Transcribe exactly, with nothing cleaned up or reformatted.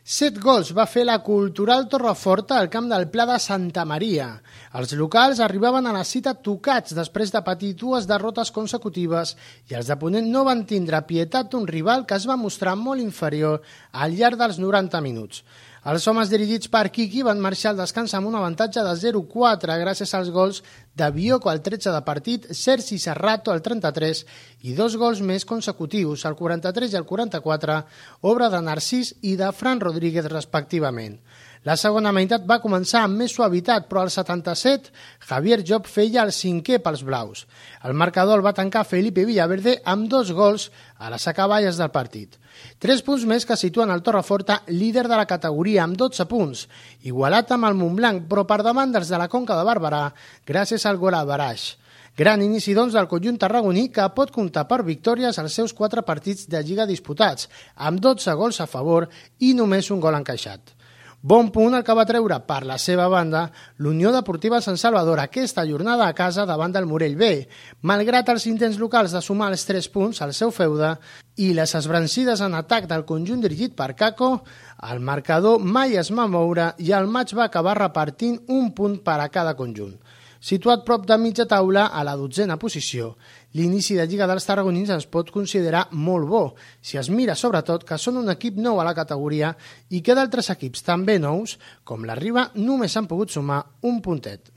Set gols va fer la Cultural Torreforta al camp del Pla de Santa Maria. Els locals arribaven a la cita tocats després de patir dues derrotes consecutives i els de Ponent no van tindre pietat d'un rival que es va mostrar molt inferior al llarg dels noranta minuts. Els homes dirigits per Quiqui van marxar al descans amb un avantatge de zero a quatre gràcies als gols de Bioko al tretze de partit, Sergi Serrato al trenta-tres i dos gols més consecutius, al quaranta-tres i al quaranta-quatre, obra de Narcís i de Fran Rodríguez respectivament. La segona meitat va començar amb més suavitat, però al setanta-set Javier Job feia el cinquè pels blaus. El marcador el va tancar Felipe Villaverde amb dos gols a les acaballes del partit. Tres punts més que situen el Torreforta líder de la categoria amb dotze punts, igualat amb el Montblanc, però per davant dels de la Conca de Barberà, gràcies al gol a Baraix. Gran inici, doncs, del conjunt tarragoní que pot comptar per victòries als seus quatre partits de Lliga disputats, amb dotze gols a favor i només un gol encaixat. Bon punt el que va treure per la seva banda l'Unió Deportiva Sant Salvador aquesta jornada a casa davant del Morell B, malgrat els intents locals de sumar els tres punts al seu feude i les esbrancides en atac del conjunt dirigit per Caco, el marcador mai es va moure i el maig va acabar repartint un punt per a cada conjunt. Situat prop de mitja taula a la dotzena posició, l'inici de Lliga dels Tarragonins es pot considerar molt bo, si es mira sobretot que són un equip nou a la categoria i que d'altres equips també nous, com la Riba, només han pogut sumar un puntet.